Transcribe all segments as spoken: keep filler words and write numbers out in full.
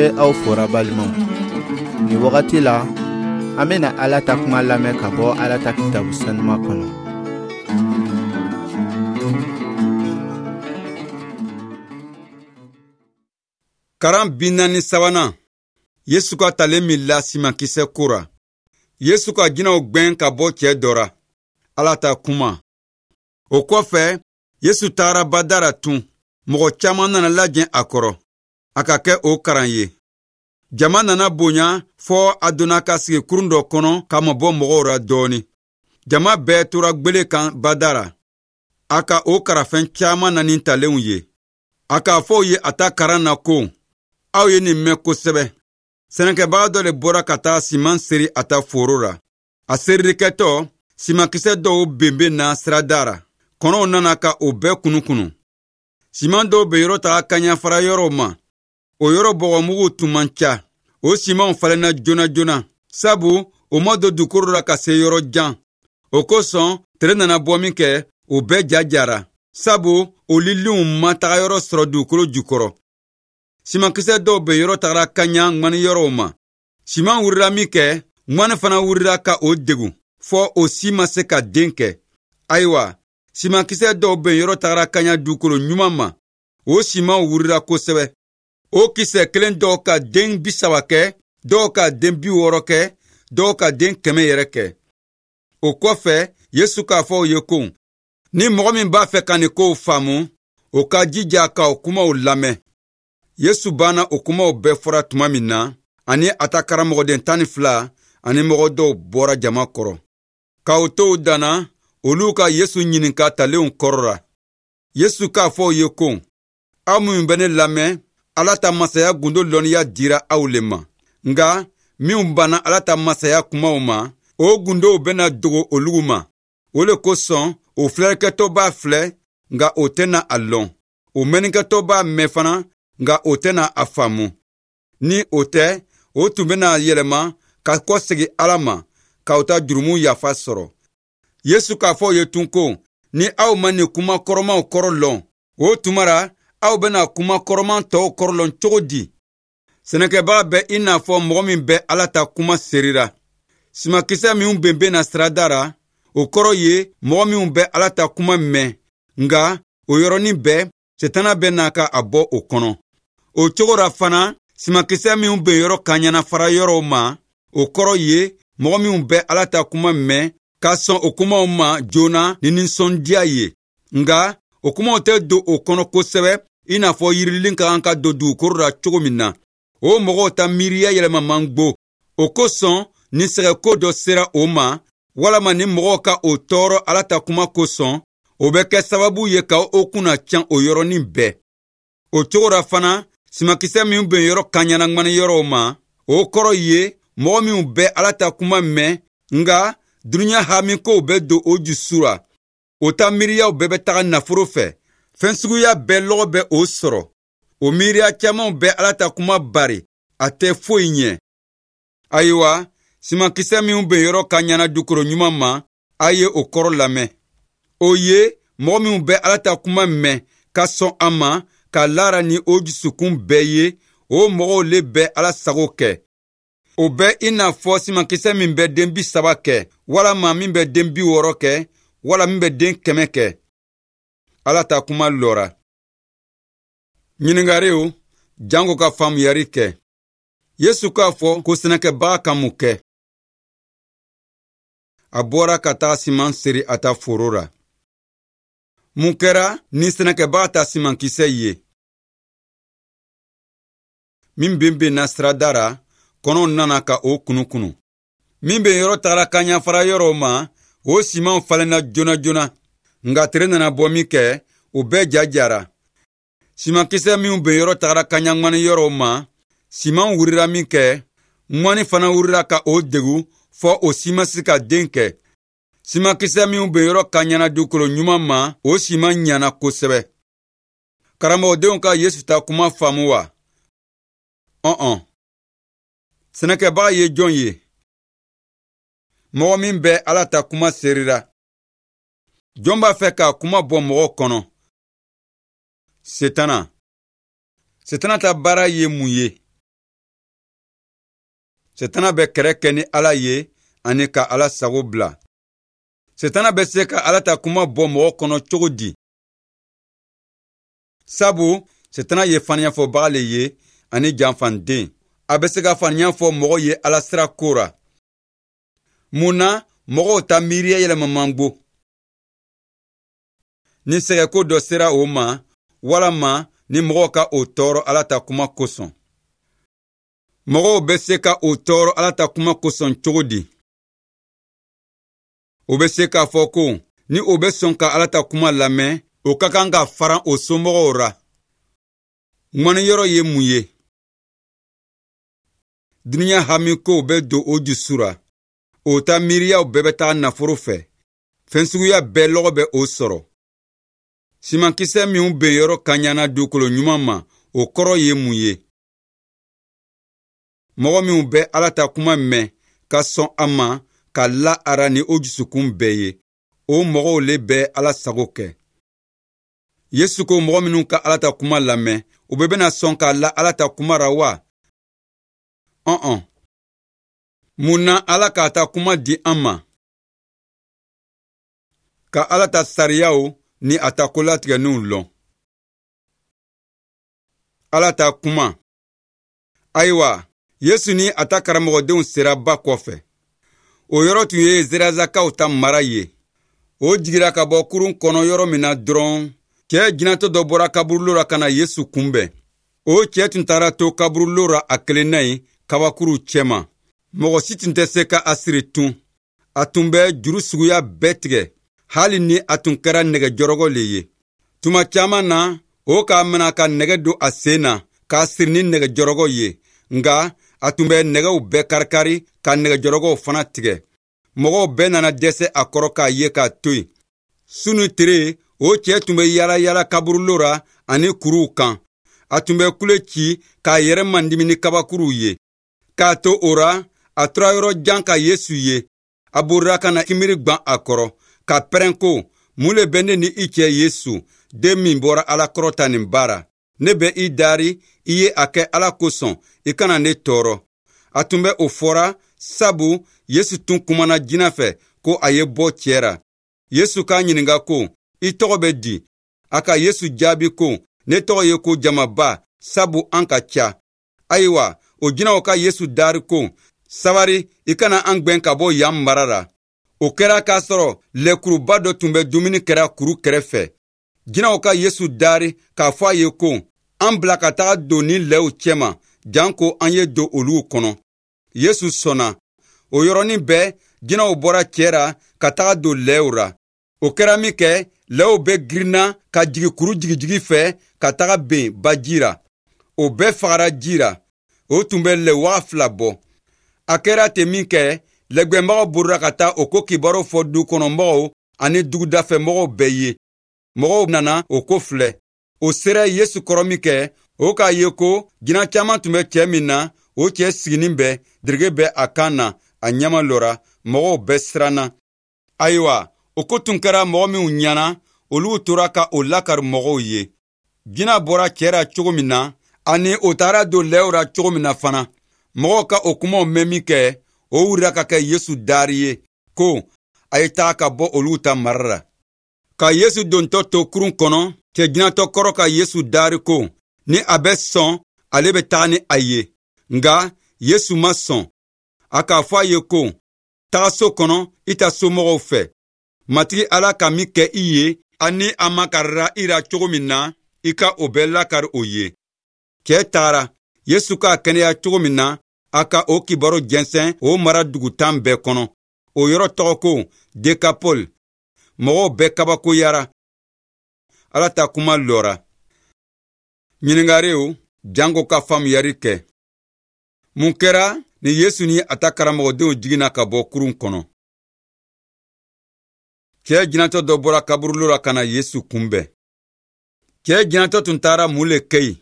An bɛ aw fora balimaw. Nin wagati la, an bɛna Ala ta kuma lamɛn ka bɔ Ala ta kitabu sanuma kɔnɔ. Karan bi naani sabanan, Yesu ka talen min la simankisɛ ko ra. Yesu ka jinɛw gwɛn ka bɔ cɛɛ dɔ ra. Ala ta kuma. O kɔfɛ, Yesu tagara bada ra tun. Mɔgɔ caman nana lajɛ a kɔrɔ. A ka kɛ o karan ye. Jama nana bonya fɔ a donna ka sigi kurun dɔ kɔnɔ ka mabɔ mɔgɔw ra dɔɔni. Jama bɛɛ tora gwele kan bada ra. A ka o karafɛn caman na ni talenw ye. A k'a fɔ u ye a ta karan na ko, aw ye nin mɛn kosɛbɛ. Sɛnɛkɛbaga dɔ le bɔra ka taa siman seri a ta foro ra. A seririkɛtɔ, simankisɛ dɔw benben na sirada ra. Kɔnɔw nana ka o bɛɛ kunukunu. Siman dɔw be yɔrɔ taga kaɲafara yɔrɔw ma. O yɔrɔ bɔgɔmugu tun man ca. O simanw falenna joona joona, sabu o ma don dugukolo la ka se yɔrɔ jan. O kosɔn, tere nana bɔ min kɛ, o bɛɛ ja jara, sabu o liliw ma taga yɔrɔ sɔrɔ dugukolo jukɔrɔ. Simankisɛ dɔw be yɔrɔ tagara kaɲa ŋmani yɔrɔw ma. Siman wurila min kɛ, ŋmani fana wurila ka o degun, fɔ o si ma se ka den kɛ. Ayiwa, simankisɛ dɔw be yɔrɔ tagara kaɲa dugukolo ɲuman ma. O simanw wurila kosɛbɛ. O kisɛ kelen dɔw ka den bi saba kɛ, dɔw ka den bi wɔɔrɔ kɛ, dɔw ka den kɛmɛ yɛrɛ kɛ. O kɔfɛ, Yesu k'a fɔ u ye ko, ni mɔgɔ min b'a fɛ ka nin kow faamu, o ka jija ka o kumaw lamɛn. Yesu banna o kumaw bɛɛ fɔra tuma min na, ani a ta karamɔgɔden tan ni fila ani mɔgɔ dɔw bɔra jama kɔrɔ. K'o to u danna, olu ka Yesu ɲininka talenw kɔrɔ la. Yesu k'a fɔ u ye ko, aw minnu bɛ ne lamɛn, Ala ta masaya gundo lɔnniya dira aw le ma. Nka minw banna Ala ta masaya kumaw ma, o gundow bɛna dogo olugu ma. O le kosɔn, o filɛlikɛtɔ b'a filɛ, nka o tɛna a lɔn. O mɛnnikɛtɔ b'a mɛn fana, nka o tɛna a faamu. Ni o tɛ, o tun bɛna yɛlɛma ka kɔsegin Ala ma, k'aw ta jurumu yafa sɔrɔ. Yesu k'a fɔ u ye tun ko, ni aw ma nin kuma kɔrɔmaw kɔrɔ lɔn, o tuma ra, aw bɛna kuma kɔrɔman tɔw kɔrɔ lɔn cogo di? Sɛnɛkɛbaga bɛ i n'a fɔ mɔgɔ min bɛ Ala ta kuma serira. Simakisɛ minw benben na sirada ra, o kɔrɔ ye mɔgɔ minw bɛ Ala ta kuma mɛn, nka o yɔrɔnin bɛɛ, Setana bɛ n'a ka a bɔ o kɔnɔ. O cogo ra fana, simakisɛ minw ben yɔrɔ kaɲana fara yɔrɔw ma, o kɔrɔ ye mɔgɔ minw bɛ Ala ta kuma mɛn ka sɔn o kumaw ma joona ni nisɔndiya ye. Nka o kumaw tɛ don o kɔnɔ kosɛbɛ i n'a fɔ yirilin ka kan ka don dugukolo la cogo min na. O mɔgɔw ta miiriya yɛlɛma man go. O kosɔn, ni sɛgɛko dɔ sera o ma, walama ni mɔgɔw ka o tɔɔrɔ Ala ta kuma kosɔn, o bɛ kɛ sababu ye ka o kunna can o yɔrɔnin bɛɛ. O cogo ra fana, simakisɛ minw ben yɔrɔ kaɲana ŋmani yɔrɔw ma, o kɔrɔ ye mɔgɔ minw bɛ Ala ta kuma mɛn, nka dunuya hamikow bɛ don o jusu ra. O ta miiriyaw bɛɛ bɛ taga nafolo fɛ. Fɛn suguya bɛɛ lɔgɔ bɛ o sɔrɔ. O miiriya camanw bɛ Ala ta kuma bari, a tɛ foyi ɲɛ. Ayiwa, simankisɛ minw ben yɔrɔ kaɲana dugukolo ɲuman ma, a ye o kɔrɔ lamɛn. O ye mɔgɔ minw bɛ Ala ta kuma mɛn ka sɔn a ma ka lara ni o dusukun bɛɛ ye, o mɔgɔw le bɛ Ala sago kɛ. O bɛ i n'a fɔ simankisɛ min bɛ den bi saba kɛ, walama min bɛ den bi wɔɔrɔ kɛ, wala min bɛ den kɛmɛ kɛ. Ala ta kuma lɔra. Ɲininkariw, janko ka faamuyari kɛ. Yesu k'a fɔ ko sɛnɛkɛbaga ka mun kɛ? A bɔra ka taa siman seri a ta foro la. Mun kɛra ni sɛnɛkɛbaga ta simankisɛ ye? Min benbenna sirada ra, kɔnɔw nana ka o kunukunu. Min bɛ yɔrɔ tagara kaɲafara yɔrɔw ma, o simanw falenna joona joona. Nka tere nana bɔ min kɛ, o bɛɛ ja jara. Simankisɛ minw bɛ yɔrɔ tagara kaɲa ŋmani yɔrɔw ma, siman wurila min kɛ, ŋmani fana wurila ka o degun fɔ o si ma se ka den kɛ. Simankisɛ minw bɛ yɔrɔ kaɲana dugukolo ɲuman ma, o siman ɲana kosɛbɛ. Karamɔgɔdenw ka Yesu ta kuma faamu wa? Ɔn-ɔn. Sɛnɛkɛbaga ye jɔn ye? Mɔgɔ min bɛ Ala ta kuma serira. Jɔn b'a fɛ ka kuma bɔ mɔgɔ kɔnɔ? Setana. Setana ta baara ye mun ye? Setana bɛ kɛrɛ kɛ ni Ala ye ani ka Ala sago bila. Setana bɛ se ka Ala ta kuma bɔ mɔgɔ kɔnɔ cogo di? Sabu Setana ye faniyafɔbaga le ye ani janfanden. A bɛ se ka faniya fɔ mɔgɔ ye Ala sira ko ra. Mun na mɔgɔw ta miiriya yɛlɛma man go? Ni sɛgɛko dɔ sera o ma, walama ni mɔgɔw ka o tɔɔrɔ Ala ta kuma kosɔn. Mɔgɔw bɛ se ka o tɔɔrɔ Ala ta kuma kosɔn cogo di? O bɛ se k'a fɔ ko ni o bɛ sɔn ka Ala ta kuma lamɛn, o ka kan ka faran o somɔgɔw ra. Ŋɔniyɔrɔ ye mun ye? Dunuya hamikow bɛ don o dusu ra. O ta miiriyaw bɛɛ bɛ taga nafolo fɛ. Fɛn suguya bɛɛ lɔgɔ bɛ o sɔrɔ. Simankisɛ minw ben yɔrɔ kaɲana dugukolo ɲuman ma, o kɔrɔ ye mun ye? Mɔgɔ minw bɛ Ala ta kuma mɛn ka sɔn a ma ka la a ra ni o dusukun bɛɛ ye, o mɔgɔw le bɛ Ala sago kɛ. Yesu ko mɔgɔ minw ka Ala ta kuma lamɛn, u bɛɛ bɛna sɔn ka la Ala ta kuma ra wa? Ɔn-ɔn. Mun na Ala k'a ta kuma di an ma? Ka Ala ta sariyaw ni a ta kolatigɛninw lɔn. Ala ta kuma. Ayiwa, Yesu ni a ta karamɔgɔdenw sera ba kɔfɛ. O yɔrɔ tun ye Zerazakaw ta mara ye. O jigira ka bɔ kurun kɔnɔ yɔrɔ min na dɔrɔn, cɛ jinɛtɔ dɔ bɔra kaburulo la ka na Yesu kunbɛn. O cɛ tun taara to kaburulo la a kelen na yen kabakuruw cɛma. Mɔgɔ si tun tɛ se ka a siri tun. A tun bɛ juru suguya bɛɛ tigɛ, hali ni a tun kɛra nɛgɛjɔrɔgɔ le ye. Tuma caman na, o k'a mina ka nɛgɛ don a sen na k'a siri ni nɛgɛjɔrɔgɔ ye. Nka a tun bɛ nɛgɛw bɛɛ karikari ka nɛgɛjɔrɔgɔw fana tigɛ. Mɔgɔw bɛɛ nana dɛsɛ a kɔrɔ k'a ye k'a to yen. Su ni tere, o cɛ tun bɛ yaala yaala kaburulo ra ani kuruw kan. A tun bɛ kule ci k'a yɛrɛ mandimi ni kabakuruw ye. K'a to o ra, a tora yɔrɔ jan ka Yesu ye. A borira ka na kimiri gwan a kɔrɔ, ka pɛrɛn ko, mun le bɛ ne ni i cɛ Yesu, den min bɔra Ala kɔrɔ ta nin baara? Ne bɛ i dari, i ye a kɛ Ala kosɔn, i kana ne tɔɔrɔ. A tun bɛ o fɔra, sabu Yesu tun kumana jinɛ fɛ ko a ye bɔ cɛ ra. Yesu k'a ɲininka ko, i tɔgɔ bɛ di? A ka Yesu jaabi ko, ne tɔgɔ ye ko jamaba, sabu an ka ca. Ayiwa, o jinɛw ka Yesu dari ko, sabari, i kana an gwɛn ka bɔ yan mara la. O kɛra k'a sɔrɔ lɛkuruba dɔ tun bɛ dumuni kɛra kuru kɛrɛfɛ. Jinɛw ka Yesu dari k'a fɔ a ye ko, an bila ka taga don ni lɛw cɛma, janko an ye don olu kɔnɔ. Yesu sɔnna. O yɔrɔnin bɛɛ, jinɛw bɔra cɛ ra ka taga don lɛw ra. O kɛra min kɛ, lɛw bɛɛ girinna ka jigin kuru jigijigi fɛ ka taga ben baji ra. O bɛɛ fagara ji ra. O tun bɛ lɛ waga fila bɔ. A kɛra ten min kɛ, lɛgbɛnbagaw borira ka taa o ko kibaru fɔ du kɔnɔmɔgɔw ani dugudafɛmɔgɔw bɛɛ ye. Mɔgɔw nana o ko filɛ. O sera Yesu kɔrɔ min kɛ, o k'a ye ko jinɛ caman tun bɛ cɛ min na, o cɛ siginin bɛ, derege bɛ a kan na, a ɲɛma lɔra, mɔgɔw bɛɛ siranna. Ayiwa, o ko tun kɛra mɔgɔ minw ɲɛna, olu tora ka o lakari mɔgɔw ye. Jinɛ bɔra cɛ ra cogo min na, ani o taara don lɛw ra cogo min na fana. Mɔgɔw ka o kumaw mɛn min kɛ, o wulila ka kɛ Yesu dari ye, ko a ye taga ka bɔ olu ta mara la. Ka Yesu dontɔ to kurun kɔnɔ, cɛ jinɛtɔ kɔrɔ ka Yesu dari ko, ni a bɛ sɔn, ale bɛ taga ni a ye. Nka Yesu ma sɔn. A k'a fɔ a ye ko, taga so kɔnɔ, i ta somɔgɔw fɛ. Matigi Ala ka min kɛ i ye, ani a makarira i ra cogo min na, i ka o bɛɛ lakari o ye. Cɛ tagara, Yesu k'a kɛnɛya cogo min na, a ka o kibaru jɛnsɛn o mara dugu tan bɛɛ kɔnɔ. O yɔrɔ tɔgɔ ko Dekapol. Mɔgɔw bɛɛ kabakoyara. Ala ta kuma lɔra. Ɲininkariw janko ka faamuyali kɛ. Mun kɛra ni Yesu ni a ta karamɔgɔdenw jiginna ka bɔ kurun kɔnɔ? Cɛ jinɛtɔ dɔ bɔra kaburulo la ka na Yesu kunbɛn. Cɛ jinɛtɔ tun taara mun le kɛ yen?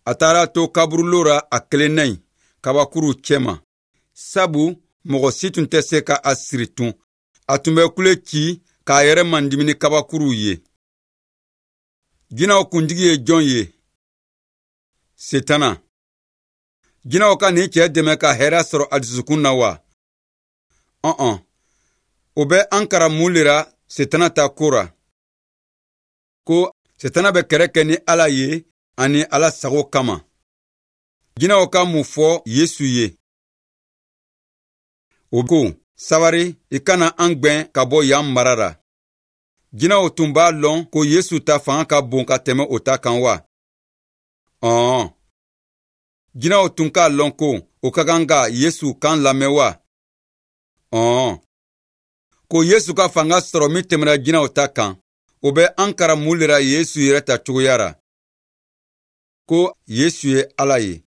A taara to kaburulo la a kelen na yen, kabakuruw cɛma. Sabu mɔgɔ si tun tɛ se ka a siri tun. A tun bɛ kule ci k'a yɛrɛ mandimi ni kabakuruw ye. Jinɛw kuntigi ye jɔn ye? Setana. Jinɛw ka nin cɛ dɛmɛ ka hɛrɛ sɔrɔ a dusukun na wa? Ɔn, o bɛ an karan mun le ra Setana ta ko ra? Ko Setana bɛ kɛlɛ kɛ ni Ala ye ani Ala sago kama. Jinɛw ka mun fɔ Yesu ye? O ko, sabari, i kana an gwɛn ka bɔ yan mara ra. Jinɛw tun b'a lɔn ko Yesu ta fanga ka bon ka tɛmɛ o ta kan wa? Ɔn. Jinɛw tun k'a lɔn ko o ka kan ka Yesu kan lamɛn wa? Ɔn. Ko Yesu ka fanga sɔrɔ min tɛmɛna jinɛw ta kan, o bɛ an karan mun le ra Yesu yɛrɛ ta cogoya ra? Ko Yesu ye Ala ye.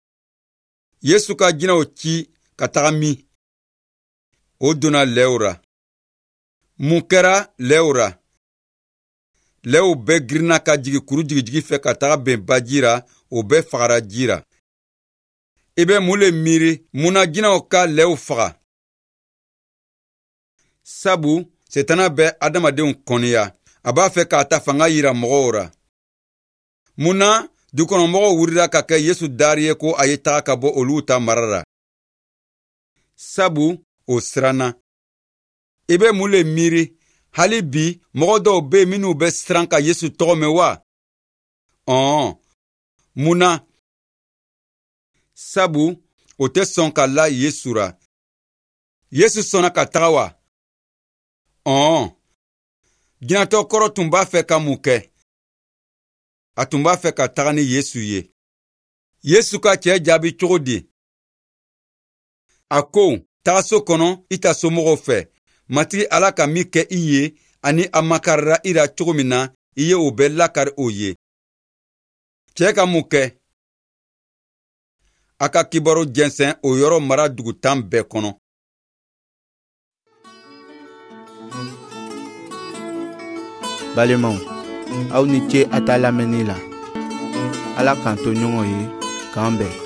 Yesu ka jinɛw ci ka taga min? O donna lɛw ra. Mun kɛra lɛw ra? Lɛw bɛɛ girinna ka jigin kuru jigijigi fɛ ka taga bɛn baji ra, o bɛɛ fagara ji ra. I bɛ mun le miiri mun na jinɛw ka lɛw faga? Sabu Setana bɛ adamadenw kɔniya, a b'a fɛ k'a ta fanga yira mɔgɔw ra. Mun na dukɔnɔmɔgɔw wulila ka kɛ Yesu dari ye ko a ye taga ka bɔ olu ta mara la? Sabu o siranna. I bɛ mun le miiri hali bi mɔgɔ dɔw bɛ yen minnu bɛ siran ka Yesu tɔgɔ mɛn wa? Ɔn, mun na? Sabu o tɛ sɔn ka la Yesu ra. Yesu sɔnna ka taga wa? Ɔn. Jinɛtɔ kɔrɔ tun b'a fɛ ka mun kɛ? A tun b'a fɛ ka taga ni Yesu ye. Yesu ka cɛ jaabi cogo di? A ko, taga so kɔnɔ i ta somɔgɔw fɛ. Matigi Ala ka min kɛ i ye ani a makarira i ra cogo min na, i ye o bɛɛ lakari o ye. Cɛ ka mun kɛ? A ka kibaru jɛnsɛn o yɔrɔ mara dugu tan bɛɛ kɔnɔ. Balimaw, aw ni ce a ta lamɛnni la. Ala k'an to ɲɔgɔn ye, k'an bɛn.